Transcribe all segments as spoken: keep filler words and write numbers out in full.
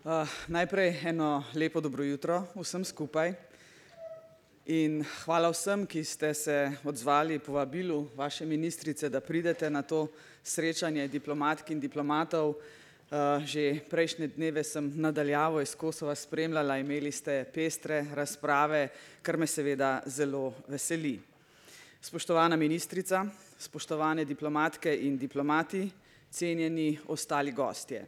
Uh, najprej eno lepo dobro jutro vsem skupaj in hvala vsem, ki ste se odzvali povabilu vaše ministrice, da pridete na to srečanje diplomatk in diplomatov. Uh, že prejšnje dneve sem nadaljavo iz Kosova spremljala, imeli ste pestre razprave, kar me seveda zelo veseli. Spoštovana ministrica, spoštovane diplomatke in diplomati, cenjeni ostali gostje.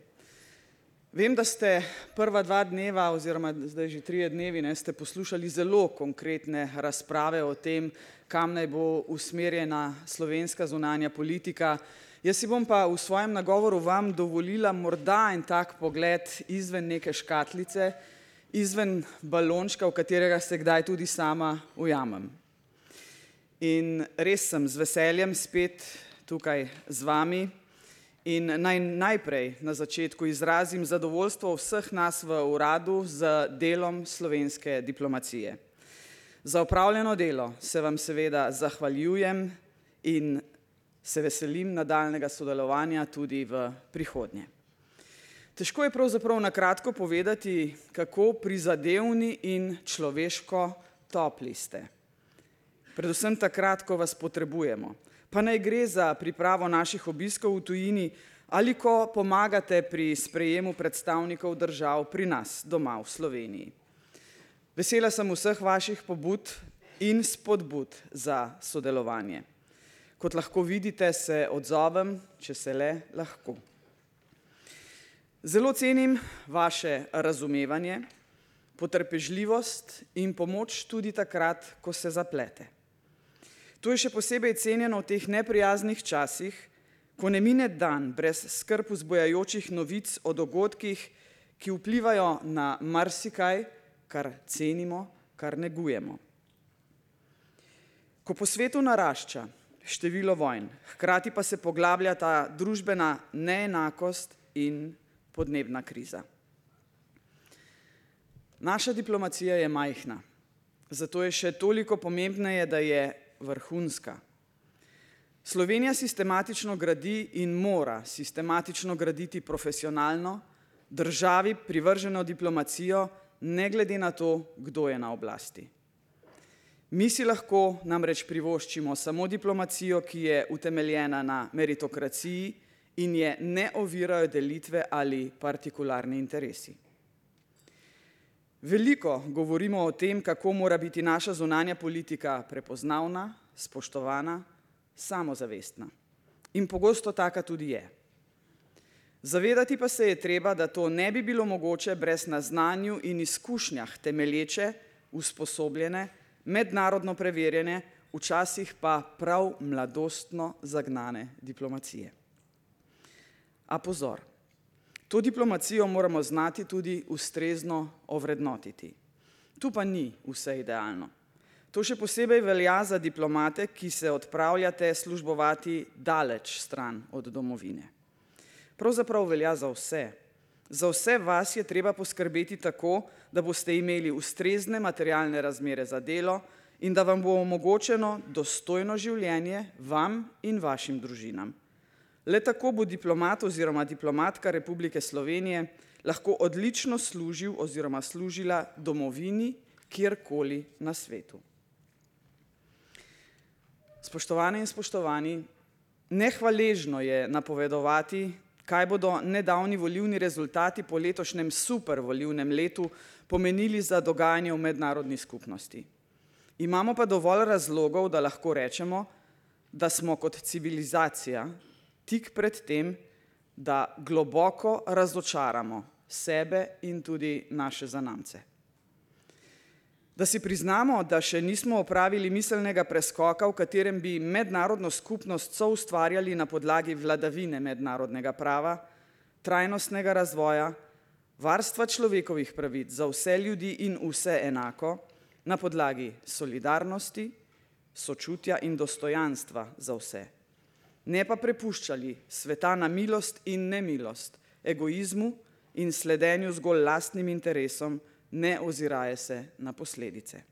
Vem, da ste prva dva dneva oziroma zdaj že trije dnevi ne, ste poslušali zelo konkretne razprave o tem, kam naj bo usmerjena slovenska zunanja politika. Jaz si bom pa v svojem nagovoru vam dovolila morda en tak pogled izven neke škatlice, izven balončka, v katerega se kdaj tudi sama ujamem. In res sem z veseljem spet tukaj z vami. In naj najprej na začetku izrazim zadovoljstvo vseh nas v uradu z delom slovenske diplomacije. Za opravljeno delo se vam seveda zahvaljujem in se veselim nadaljnega sodelovanja tudi v prihodnje. Težko je pravzaprav na kratko povedati, kako prizadevni in človeško topli ste. Predvsem takrat, ko vas potrebujemo. Pa naj gre za pripravo naših obiskov v tujini ali ko pomagate pri sprejemu predstavnikov držav pri nas doma v Sloveniji. Vesela sem vseh vaših pobud in spodbud za sodelovanje. Kot lahko vidite, se odzovem, če se le lahko. Zelo cenim vaše razumevanje, potrpežljivost in pomoč tudi takrat, ko se zaplete. To je še posebej cenjeno v teh neprijaznih časih, ko ne mine dan brez skrb vzbujajočih novic o dogodkih, ki vplivajo na marsikaj, kar cenimo, kar negujemo. Ko po svetu narašča število vojn, hkrati pa se poglablja ta družbena neenakost in podnebna kriza. Naša diplomacija je majhna, zato je še toliko pomembneje, da je vrhunska. Slovenija sistematično gradi in mora sistematično graditi profesionalno, državi privrženo diplomacijo, ne glede na to, kdo je na oblasti. Mi si lahko namreč privoščimo samo diplomacijo, ki je utemeljena na meritokraciji in je ne ovirajo delitve ali partikularni interesi. Veliko govorimo o tem, kako mora biti naša zunanja politika prepoznavna, spoštovana, samozavestna. In pogosto taka tudi je. Zavedati pa se je treba, da to ne bi bilo mogoče brez na znanju in izkušnjah temelječe, usposobljene, mednarodno preverjene, včasih pa prav mladostno zagnane diplomacije. A pozor! To diplomacijo moramo znati tudi ustrezno ovrednotiti. Tu pa ni vse idealno. To še posebej velja za diplomate, ki se odpravljate službovati daleč stran od domovine. Pravzaprav velja za vse. Za vse vas je treba poskrbeti tako, da boste imeli ustrezne materialne razmere za delo in da vam bo omogočeno dostojno življenje vam in vašim družinam. Le tako bo diplomat oziroma diplomatka Republike Slovenije lahko odlično služil oziroma služila domovini kjerkoli na svetu. Spoštovane in spoštovani, nehvaležno je napovedovati, kaj bodo nedavni volilni rezultati po letošnjem super volilnem letu pomenili za dogajanje v mednarodni skupnosti. Imamo pa dovolj razlogov, da lahko rečemo, da smo kot civilizacija tik pred tem, da globoko razočaramo sebe in tudi naše zanamce. Da si priznamo, da še nismo opravili miselnega preskoka, v katerem bi mednarodno skupnost soustvarjali na podlagi vladavine mednarodnega prava, trajnostnega razvoja, varstva človekovih pravic za vse ljudi in vse enako, na podlagi solidarnosti, sočutja in dostojanstva za vse. Ne pa prepuščali sveta na milost in nemilost, egoizmu in sledenju zgolj lastnim interesom, ne oziraje se na posledice.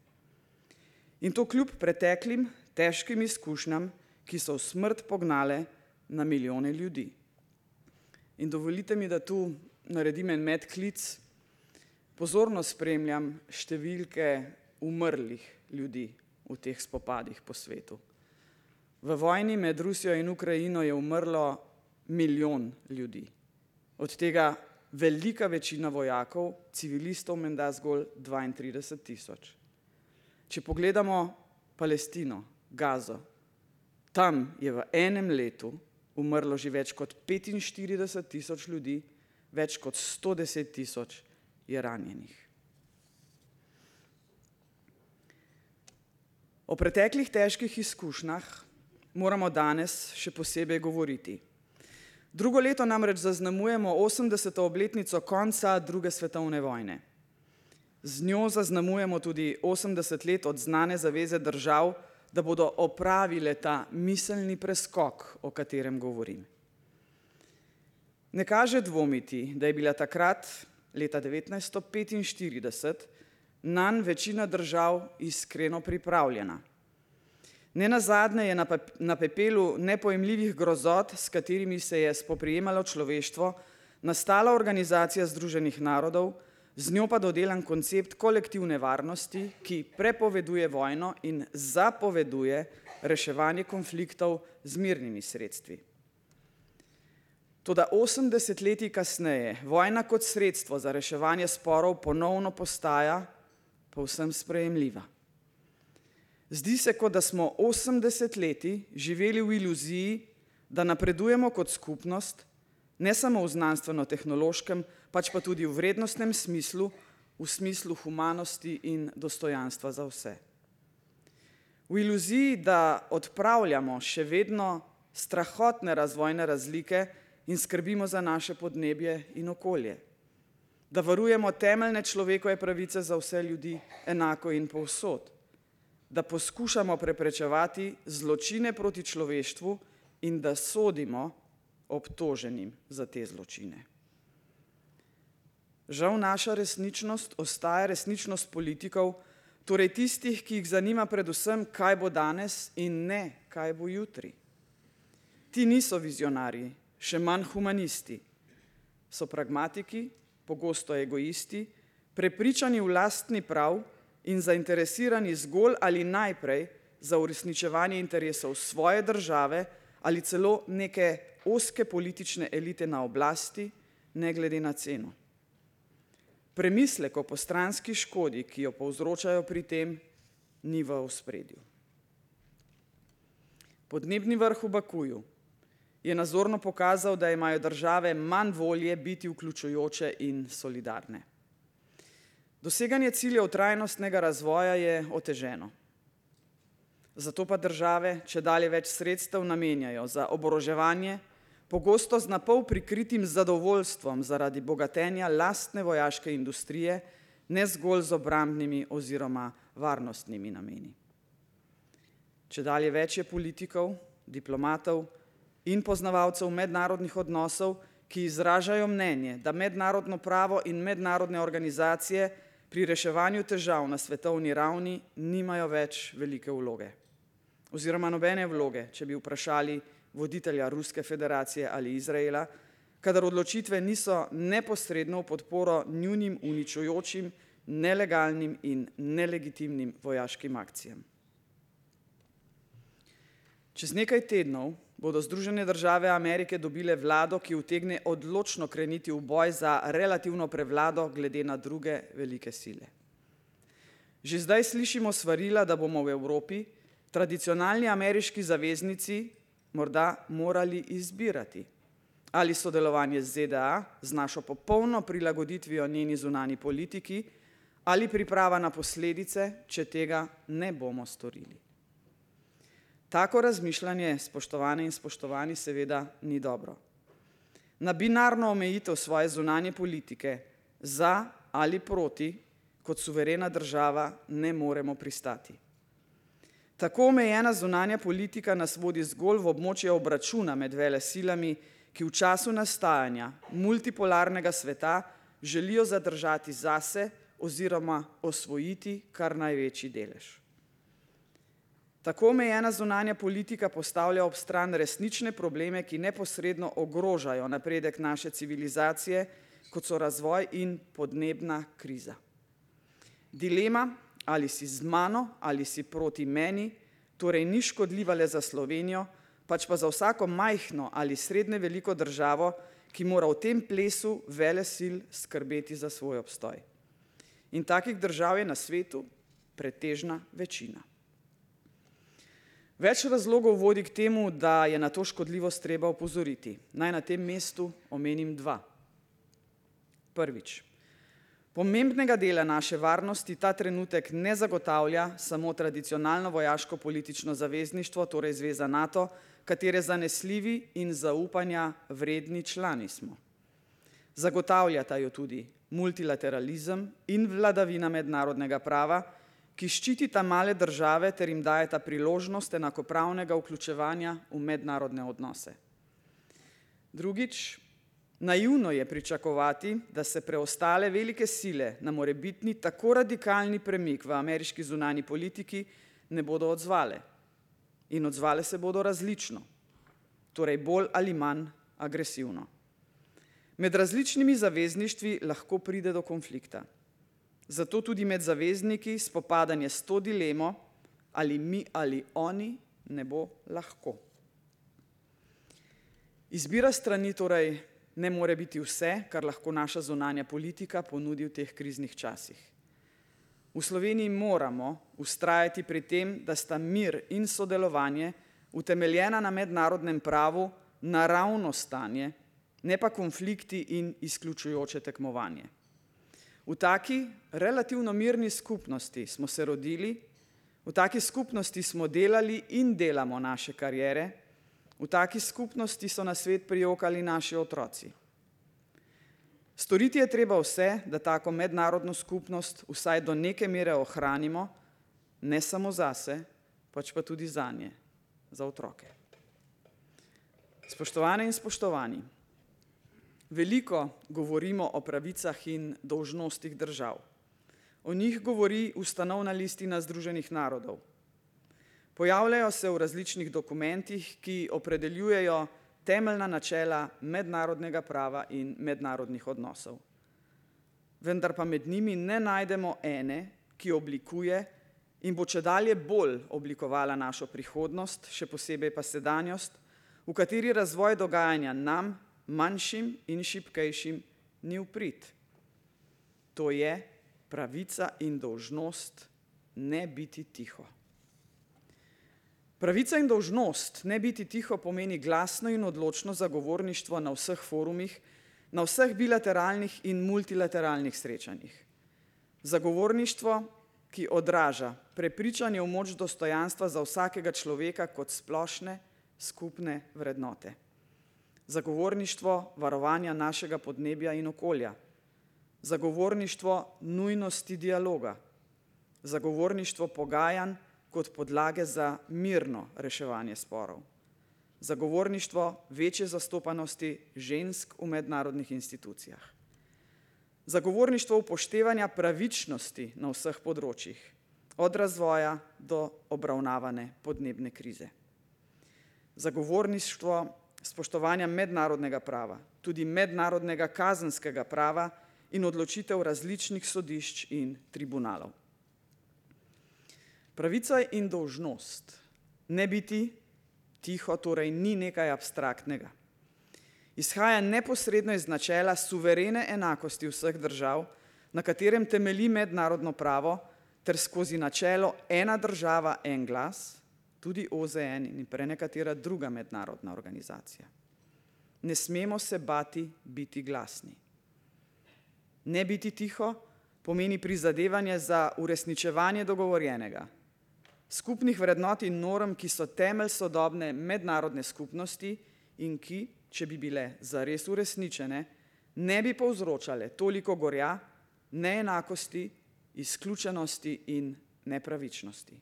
In to kljub preteklim, težkim izkušnjam, ki so v smrt pognale na milijone ljudi. In dovolite mi, da tu naredim en medklic. pozorno spremljam številke umrlih ljudi v teh spopadih po svetu. V vojni med Rusijo in Ukrajino je umrlo milijon ljudi. Od tega velika večina vojakov, civilistov menda zgolj dvaintrideset tisoč. Če pogledamo Palestino, Gazo, tam je v enem letu umrlo že več kot petinštirideset tisoč ljudi, več kot sto deset tisoč je ranjenih. O preteklih težkih izkušnjah moramo danes še posebej govoriti. Drugo leto namreč zaznamujemo osemdeseto obletnico konca druge svetovne vojne. Z njo zaznamujemo tudi osemdeset let od znane zaveze držav, da bodo opravile ta miselni preskok, o katerem govorim. Ne kaže dvomiti, da je bila takrat, leta devetnajststo petinštirideset, nanj večina držav iskreno pripravljena. Nenazadnje je na pepelu nepojemljivih grozot, s katerimi se je spoprijemalo človeštvo, nastala Organizacija združenih narodov, z njo pa dodelan koncept kolektivne varnosti, ki prepoveduje vojno in zapoveduje reševanje konfliktov z mirnimi sredstvi. Toda osem desetletij kasneje vojna kot sredstvo za reševanje sporov ponovno postaja povsem sprejemljiva. Zdi se, kot da smo osem desetletij živeli v iluziji, da napredujemo kot skupnost, ne samo v znanstveno-tehnološkem, pač pa tudi v vrednostnem smislu, v smislu humanosti in dostojanstva za vse. V iluziji, da odpravljamo še vedno strahotne razvojne razlike in skrbimo za naše podnebje in okolje, da varujemo temeljne človekove pravice za vse ljudi enako in povsod, da poskušamo preprečevati zločine proti človeštvu in da sodimo obtoženim za te zločine. Žal naša resničnost ostaja resničnost politikov, torej tistih, ki jih zanima predvsem, kaj bo danes in ne, kaj bo jutri. Ti niso vizionarji, še manj humanisti. So pragmatiki, pogosto egoisti, prepričani v lastni prav in zainteresirani zgolj ali najprej za uresničevanje interesov svoje države ali celo neke ozke politične elite na oblasti, ne glede na ceno. Premislek o postranski škodi, ki jo povzročajo pri tem, ni v ospredju. Podnebni vrh v Bakuju je nazorno pokazal, da imajo države manj volje biti vključujoče in solidarne. Doseganje ciljev trajnostnega razvoja je oteženo. Zato pa države čedalje več sredstev namenjajo za oboroževanje, pogosto z napol prikritim zadovoljstvom zaradi bogatenja lastne vojaške industrije, ne zgolj z obrambnimi oziroma varnostnimi nameni. Čedalje več je politikov, diplomatov in poznavalcev mednarodnih odnosov, ki izražajo mnenje, da mednarodno pravo in mednarodne organizacije pri reševanju težav na svetovni ravni nimajo več velike vloge. Oziroma nobene vloge, če bi vprašali voditelja Ruske federacije ali Izraela, kadar odločitve niso neposredno v podporo njunim uničujočim, nelegalnim in nelegitimnim vojaškim akcijam. Čez nekaj tednov bodo Združene države Amerike dobile vlado, ki utegne odločno kreniti v boj za relativno prevlado glede na druge velike sile. Že zdaj slišimo svarila, da bomo v Evropi, tradicionalni ameriški zaveznici, morda morali izbirati ali sodelovanje z ZDA z našo popolno prilagoditvijo njeni zunanji politiki ali priprava na posledice, če tega ne bomo storili. Tako razmišljanje, spoštovane in spoštovani, seveda ni dobro. Na binarno omejitev svoje zunanje politike za ali proti kot suverena država ne moremo pristati. Tako omejena zunanja politika nas vodi zgolj v območje obračuna med velesilami, ki v času nastajanja multipolarnega sveta želijo zadržati zase oziroma osvojiti kar največji delež. Tako omejena zunanja politika postavlja ob stran resnične probleme, ki neposredno ogrožajo napredek naše civilizacije kot so razvoj in podnebna kriza. Dilema, ali si z mano ali si proti meni, torej ni škodljiva le za Slovenijo, pač pa za vsako majhno ali srednje veliko državo, ki mora v tem plesu velesil skrbeti za svoj obstoj. In takih držav je na svetu pretežna večina. Več razlogov vodi k temu, da je na to škodljivost treba opozoriti. Naj na tem mestu omenim dva. Prvič. Pomembnega dela naše varnosti ta trenutek ne zagotavlja samo tradicionalno vojaško-politično zavezništvo, torej Zveza NATO, katere zanesljivi in zaupanja vredni člani smo. Zagotavljata jo tudi multilateralizem in vladavina mednarodnega prava, ki ščitita male države ter jim dajeta priložnost enakopravnega vključevanja v mednarodne odnose. Drugič, naivno je pričakovati, da se preostale velike sile na morebitni tako radikalni premik v ameriški zunanji politiki ne bodo odzvale. In odzvale se bodo različno, torej bolj ali manj agresivno. Med različnimi zavezništvi lahko pride do konflikta. Zato tudi med zavezniki spopadanje s to dilemo, ali mi ali oni, ne bo lahko. Izbira strani torej ne more biti vse, kar lahko naša zunanja politika ponudi v teh kriznih časih. V Sloveniji moramo vztrajati pri tem, da sta mir in sodelovanje utemeljena na mednarodnem pravu naravno stanje, ne pa konflikti in izključujoče tekmovanje. V taki relativno mirni skupnosti smo se rodili, v taki skupnosti smo delali in delamo naše kariere, v taki skupnosti so na svet prijokali naši otroci. Storiti je treba vse, da tako mednarodno skupnost vsaj do neke mere ohranimo, ne samo zase, pač pa tudi zanje, za otroke. Spoštovane in spoštovani, veliko govorimo o pravicah in dolžnostih držav. O njih govori ustanovna listina Združenih narodov. Pojavljajo se v različnih dokumentih, ki opredeljujejo temeljna načela mednarodnega prava in mednarodnih odnosov. Vendar pa med njimi ne najdemo ene, ki oblikuje in bo čedalje bolj oblikovala našo prihodnost, še posebej pa sedanjost, v kateri razvoj dogajanja nam, manjšim in šibkejšim, ni v prid. To je pravica in dolžnost ne biti tiho. Pravica in dolžnost ne biti tiho pomeni glasno in odločno zagovorništvo na vseh forumih, na vseh bilateralnih in multilateralnih srečanjih. Zagovorništvo, ki odraža prepričanje v moč dostojanstva za vsakega človeka kot splošne, skupne vrednote. Zagovorništvo varovanja našega podnebja in okolja. Zagovorništvo nujnosti dialoga. Zagovorništvo pogajanj kot podlage za mirno reševanje sporov. Zagovorništvo večje zastopanosti žensk v mednarodnih institucijah. Zagovorništvo upoštevanja pravičnosti na vseh področjih, od razvoja do obravnavane podnebne krize. Zagovorništvo spoštovanja mednarodnega prava, tudi mednarodnega kazenskega prava in odločitev različnih sodišč in tribunalov. Pravica in dolžnost ne biti tiho torej ni nekaj abstraktnega. Izhaja neposredno iz načela suverene enakosti vseh držav, na katerem temelji mednarodno pravo, ter skozi načelo ena država, en glas, tudi O Z N in prenekatera druga mednarodna organizacija. Ne smemo se bati biti glasni. Ne biti tiho pomeni prizadevanje za uresničevanje dogovorjenega, skupnih vrednot in norm, ki so temelj sodobne mednarodne skupnosti in ki, če bi bile zares uresničene, ne bi povzročale toliko gorja, neenakosti, izključenosti in nepravičnosti.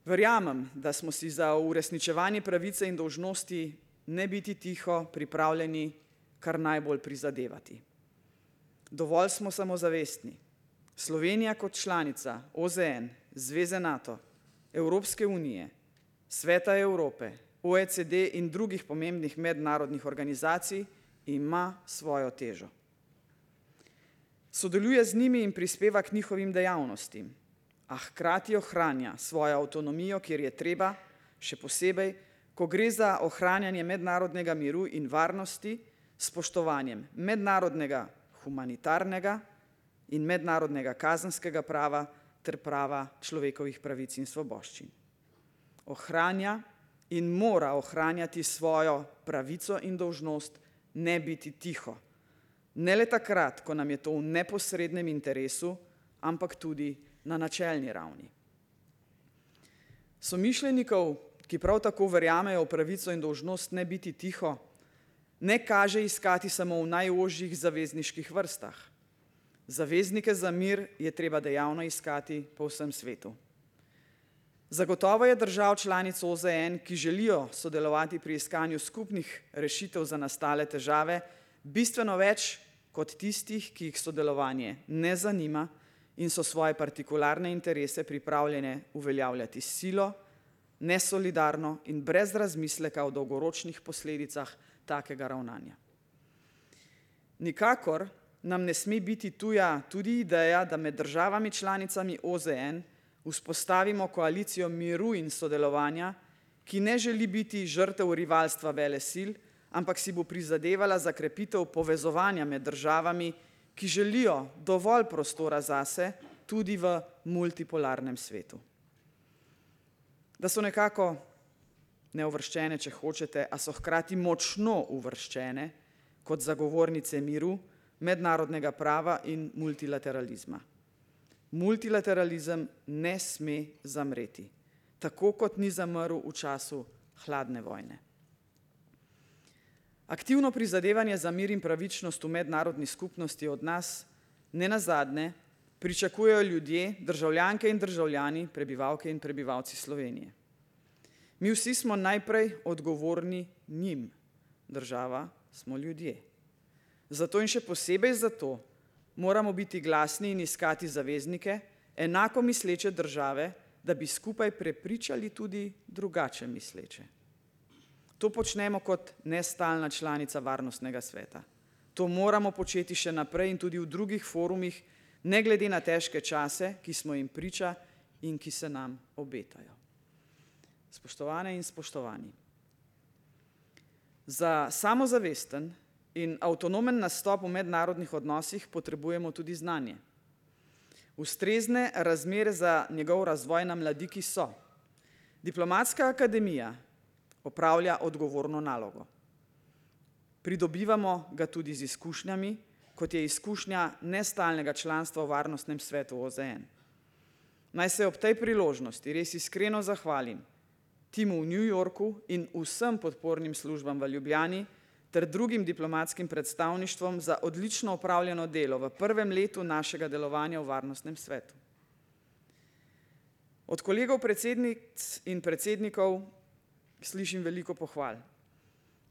Verjamem, da smo si za uresničevanje pravice in dolžnosti ne biti tiho pripravljeni kar najbolj prizadevati. Dovolj smo samozavestni. Slovenija kot članica O Z N, Zveze NATO, Evropske unije, Sveta Evrope, O E C D in drugih pomembnih mednarodnih organizacij ima svojo težo. Sodeluje z njimi in prispeva k njihovim dejavnostim, a hkrati ohranja svojo avtonomijo, kjer je treba, še posebej, ko gre za ohranjanje mednarodnega miru in varnosti s spoštovanjem mednarodnega humanitarnega in mednarodnega kazenskega prava ter prava človekovih pravic in svoboščin. Ohranja in mora ohranjati svojo pravico in dolžnost ne biti tiho. Ne le takrat, ko nam je to v neposrednem interesu, ampak tudi na načelni ravni. Somišljenikov, ki prav tako verjamejo v pravico in dolžnost ne biti tiho, ne kaže iskati samo v najožjih zavezniških vrstah. Zaveznike za mir je treba dejavno iskati po vsem svetu. Zagotovo je držav članic O Z N, ki želijo sodelovati pri iskanju skupnih rešitev za nastale težave, bistveno več kot tistih, ki jih sodelovanje ne zanima in so svoje partikularne interese pripravljene uveljavljati s silo, nesolidarno in brez razmisleka o dolgoročnih posledicah takega ravnanja. Nikakor nam ne sme biti tuja tudi ideja, da med državami članicami O Z N vzpostavimo koalicijo miru in sodelovanja, ki ne želi biti žrtev rivalstva velesil, ampak si bo prizadevala za krepitev povezovanja med državami, ki želijo dovolj prostora zase tudi v multipolarnem svetu. Da so nekako neuvrščene, če hočete, a so hkrati močno uvrščene kot zagovornice miru, mednarodnega prava in multilateralizma. Multilateralizem ne sme zamreti, tako kot ni zamrl v času hladne vojne. Aktivno prizadevanje za mir in pravičnost v mednarodni skupnosti od nas, ne nazadnje, pričakujejo ljudje, državljanke in državljani, prebivalke in prebivalci Slovenije. Mi vsi smo najprej odgovorni njim, država smo ljudje. Zato in še posebej zato moramo biti glasni in iskati zaveznike, enako misleče države, da bi skupaj prepričali tudi drugače misleče. To počnemo kot nestalna članica Varnostnega sveta. To moramo početi še naprej in tudi v drugih forumih, ne glede na težke čase, ki smo jim priča in ki se nam obetajo. Spoštovane in spoštovani, za samozavesten in avtonomen nastop v mednarodnih odnosih potrebujemo tudi znanje. Ustrezne razmere za njegov razvoj na mladiki so. Diplomatska akademija opravlja odgovorno nalogo. Pridobivamo ga tudi z izkušnjami, kot je izkušnja nestalnega članstva v Varnostnem svetu O Z N. Naj se ob tej priložnosti res iskreno zahvalim timu v New Yorku in vsem podpornim službam v Ljubljani ter drugim diplomatskim predstavništvom za odlično opravljeno delo v prvem letu našega delovanja v Varnostnem svetu. Od kolegov predsednic in predsednikov slišim veliko pohval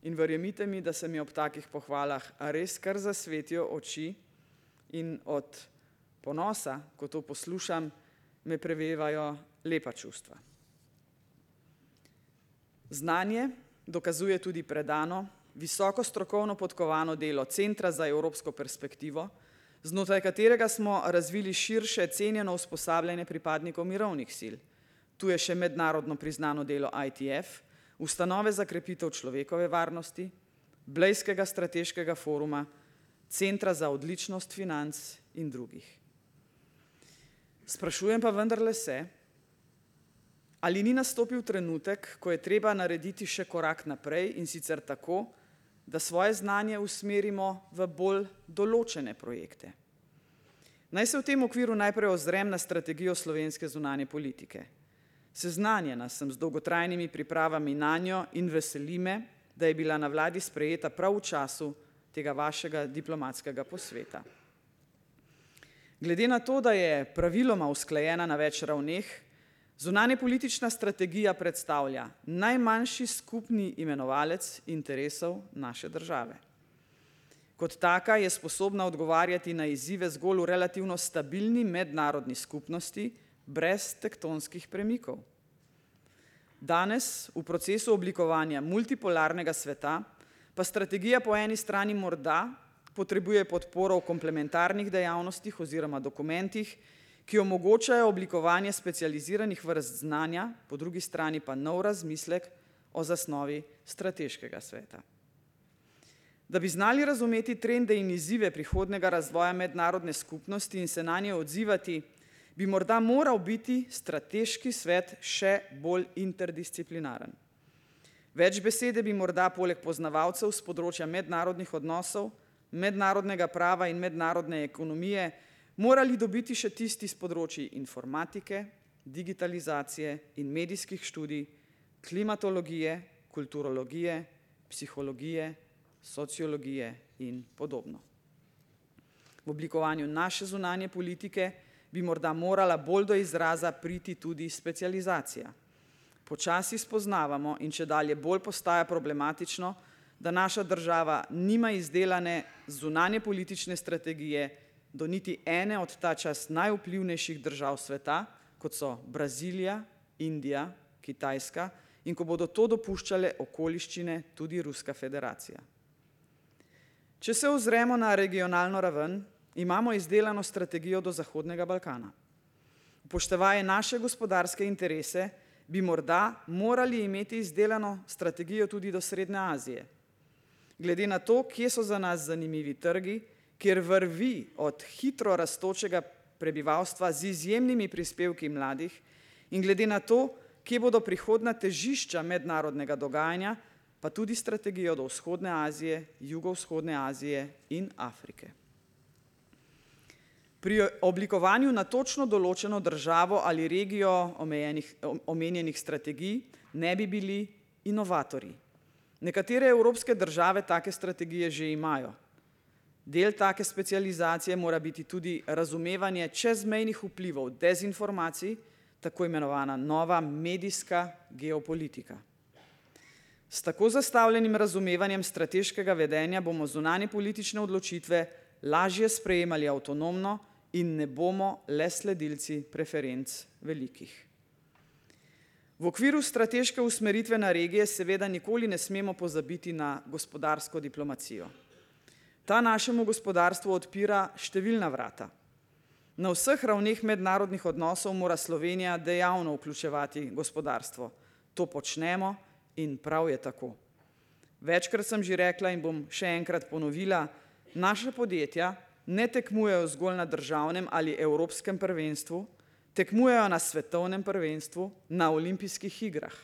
in verjemite mi, da se mi ob takih pohvalah res kar zasvetijo oči in od ponosa, ko to poslušam, me prevevajo lepa čustva. Znanje dokazuje tudi predano, visoko strokovno podkovano delo Centra za evropsko perspektivo, znotraj katerega smo razvili širše cenjeno usposabljanje pripadnikov mirovnih sil. Tu je še mednarodno priznano delo I T F, Ustanove za krepitev človekove varnosti, Blejskega strateškega foruma, Centra za odličnost financ in drugih. Sprašujem pa vendarle se, ali ni nastopil trenutek, ko je treba narediti še korak naprej in sicer tako, da svoje znanje usmerimo v bolj določene projekte. Naj se v tem okviru najprej ozrem na strategijo slovenske zunanje politike. Seznanjena sem z dolgotrajnimi pripravami nanjo in veseli me, da je bila na vladi sprejeta prav v času tega vašega diplomatskega posveta. Glede na to, da je praviloma usklajena na več ravneh, zunanjepolitična strategija predstavlja najmanjši skupni imenovalec interesov naše države. Kot taka je sposobna odgovarjati na izzive zgolj v relativno stabilni mednarodni skupnosti, brez tektonskih premikov. Danes v procesu oblikovanja multipolarnega sveta pa strategija po eni strani morda potrebuje podporo v komplementarnih dejavnostih oziroma dokumentih, ki omogočajo oblikovanje specializiranih vrst znanja, po drugi strani pa nov razmislek o zasnovi strateškega sveta. Da bi znali razumeti trende in izzive prihodnjega razvoja mednarodne skupnosti in se nanje odzivati, bi morda moral biti strateški svet še bolj interdisciplinaren. Več besede bi morda poleg poznavalcev z področja mednarodnih odnosov, mednarodnega prava in mednarodne ekonomije morali dobiti še tisti z področji informatike, digitalizacije in medijskih študij, klimatologije, kulturologije, psihologije, sociologije in podobno. V oblikovanju naše zunanje politike bi morda morala bolj do izraza priti tudi specializacija. Počasi spoznavamo in čedalje bolj postaja problematično, da naša država nima izdelane zunanje politične strategije do niti ene od ta čas najvplivnejših držav sveta, kot so Brazilija, Indija, Kitajska, in ko bodo to dopuščale okoliščine tudi Ruska federacija. Če se ozremo na regionalno raven, imamo izdelano strategijo do Zahodnega Balkana. Upoštevaje naše gospodarske interese, bi morda morali imeti izdelano strategijo tudi do Srednje Azije. Glede na to, kje so za nas zanimivi trgi, kjer vrvi od hitro rastočega prebivalstva z izjemnimi prispevki mladih in glede na to, kje bodo prihodna težišča mednarodnega dogajanja, pa tudi strategijo do Vzhodne Azije, Jugovzhodne Azije in Afrike. Pri oblikovanju na točno določeno državo ali regijo omejenih, omenjenih strategij ne bi bili inovatorji. Nekatere evropske države take strategije že imajo. Del take specializacije mora biti tudi razumevanje čezmejnih vplivov dezinformacij, tako imenovana nova medijska geopolitika. S tako zastavljenim razumevanjem strateškega vedenja bomo zunanje politične odločitve lažje sprejemali avtonomno in ne bomo le sledilci preferenc velikih. V okviru strateške usmeritve na regije seveda nikoli ne smemo pozabiti na gospodarsko diplomacijo. Ta našemu gospodarstvu odpira številna vrata. Na vseh ravneh mednarodnih odnosov mora Slovenija dejavno vključevati gospodarstvo. To počnemo in prav je tako. Večkrat sem že rekla in bom še enkrat ponovila, naša podjetja ne tekmujejo zgolj na državnem ali evropskem prvenstvu, tekmujejo na svetovnem prvenstvu, na olimpijskih igrah.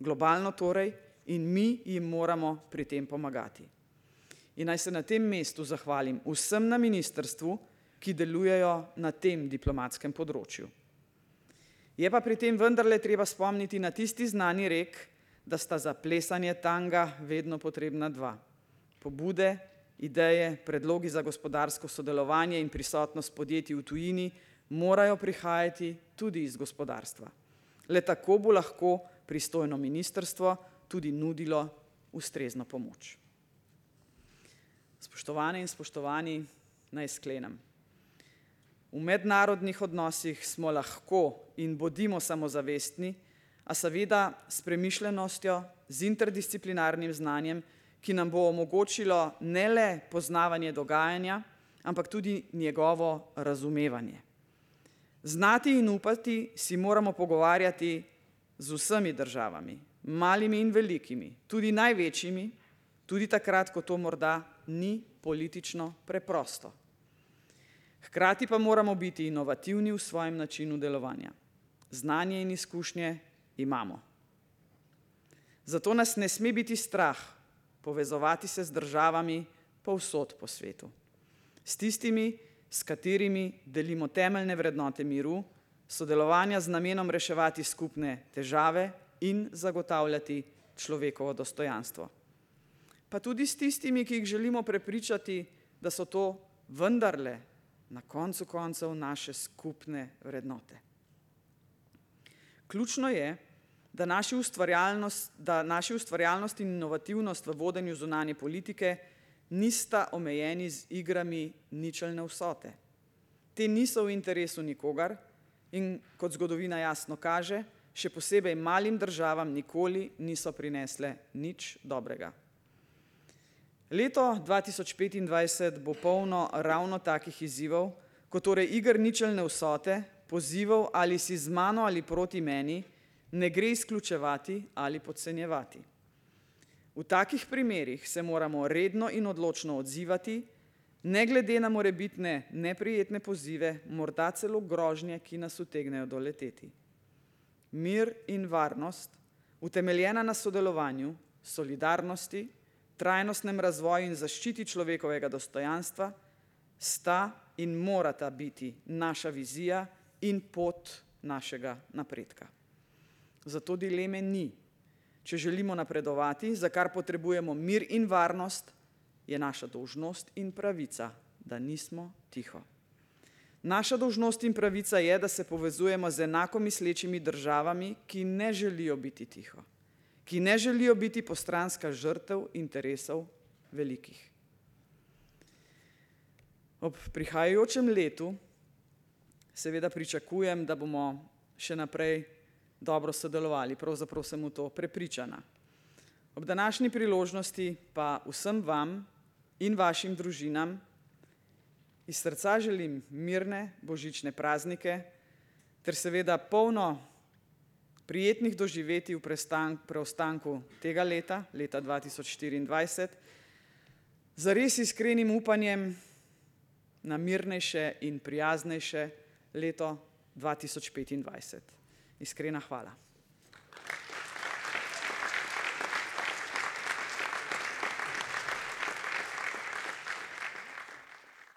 Globalno torej in mi jim moramo pri tem pomagati. In naj se na tem mestu zahvalim vsem na ministrstvu, ki delujejo na tem diplomatskem področju. Je pa pri tem vendarle treba spomniti na tisti znani rek, da sta za plesanje tanga vedno potrebna dva. Pobude, ideje, predlogi za gospodarsko sodelovanje in prisotnost podjetij v tujini morajo prihajati tudi iz gospodarstva. Le tako bo lahko pristojno ministrstvo tudi nudilo ustrezno pomoč. Spoštovane in spoštovani, naj sklenem. V mednarodnih odnosih smo lahko in bodimo samozavestni, a seveda s premišljenostjo, z interdisciplinarnim znanjem, ki nam bo omogočilo ne le poznavanje dogajanja, ampak tudi njegovo razumevanje. Znati in upati si moramo pogovarjati z vsemi državami, malimi in velikimi, tudi največjimi, tudi takrat, ko to morda ni politično preprosto. Hkrati pa moramo biti inovativni v svojem načinu delovanja. Znanje in izkušnje imamo. Zato nas ne sme biti strah povezovati se z državami povsod po svetu. S tistimi, s katerimi delimo temeljne vrednote miru, sodelovanja z namenom reševati skupne težave in zagotavljati človekovo dostojanstvo. Pa tudi s tistimi, ki jih želimo prepričati, da so to vendarle na koncu koncev naše skupne vrednote. Ključno je, da naši ustvarjalnost, da naši ustvarjalnost in inovativnost v vodenju zunanje politike nista omejeni z igrami ničelne vsote. Te niso v interesu nikogar in, kot zgodovina jasno kaže, še posebej malim državam nikoli niso prinesle nič dobrega. Leto dva tisoč petindvajset bo polno ravno takih izzivov, kot torej iger ničelne vsote, pozivov ali si z mano ali proti meni, ne gre izključevati ali podcenjevati. V takih primerih se moramo redno in odločno odzivati, ne glede na morebitne neprijetne pozive, morda celo grožnje, ki nas utegnejo doleteti. Mir in varnost, utemeljena na sodelovanju, solidarnosti, trajnostnem razvoju in zaščiti človekovega dostojanstva, sta in morata biti naša vizija in pot našega napredka. Zato dileme ni. Če želimo napredovati, za kar potrebujemo mir in varnost, je naša dolžnost in pravica, da nismo tiho. Naša dolžnost in pravica je, da se povezujemo z enako mislečimi državami, ki ne želijo biti tiho, ki ne želijo biti postranska žrtev interesov velikih. Ob prihajajočem letu seveda pričakujem, da bomo še naprej dobro sodelovali, pravzaprav sem v to prepričana. Ob današnji priložnosti pa vsem vam in vašim družinam iz srca želim mirne božične praznike ter seveda polno prijetnih doživetij v preostanku tega leta, leta dva tisoč štiriindvajset, z res iskrenim upanjem na mirnejše in prijaznejše leto dva tisoč petindvajset. Iskrena hvala.